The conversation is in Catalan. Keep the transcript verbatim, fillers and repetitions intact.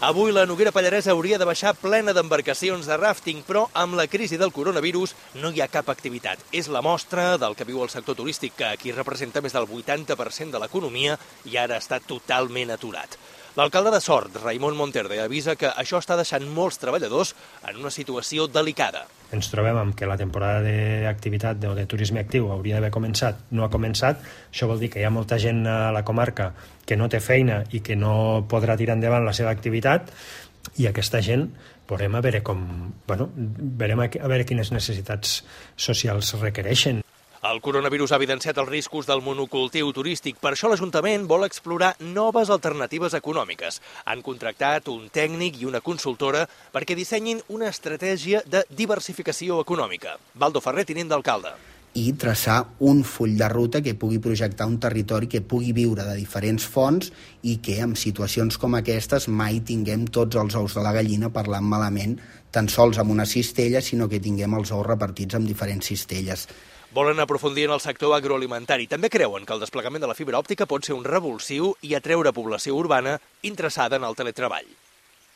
Avui la Noguera Pallaresa hauria de baixar plena d'embarcacions de ràfting, però amb la crisi del coronavirus no hi ha cap activitat. És la mostra del que viu el sector turístic, que aquí representa més del vuitanta per cent de l'economia i ara està totalment aturat. L'alcalde de Sort, Raimon Monterde, avisa que això està deixant molts treballadors en una situació delicada. Ens trobem amb que la temporada d'activitat o de turisme actiu hauria d'haver començat, no ha començat. Això vol dir que hi ha molta gent a la comarca que no té feina i que no podrà tirar endavant la seva activitat, i aquesta gent veurem a veure com, bueno, veurem a veure quines necessitats socials requereixen. El coronavirus ha evidenciat els riscos del monocultiu turístic. Per això l'Ajuntament vol explorar noves alternatives econòmiques. Han contractat un tècnic i una consultora perquè dissenyin una estratègia de diversificació econòmica. Baldo Ferrer, tinent d'alcalde. I traçar un full de ruta que pugui projectar un territori que pugui viure de diferents fonts i que en situacions com aquestes mai tinguem tots els ous de la gallina parlant malament, tan sols amb una cistella, sinó que tinguem els ous repartits en diferents cistelles. Volen aprofundir en el sector agroalimentari. També creuen que el desplegament de la fibra òptica pot ser un revulsiu i atreure població urbana interessada en el teletreball.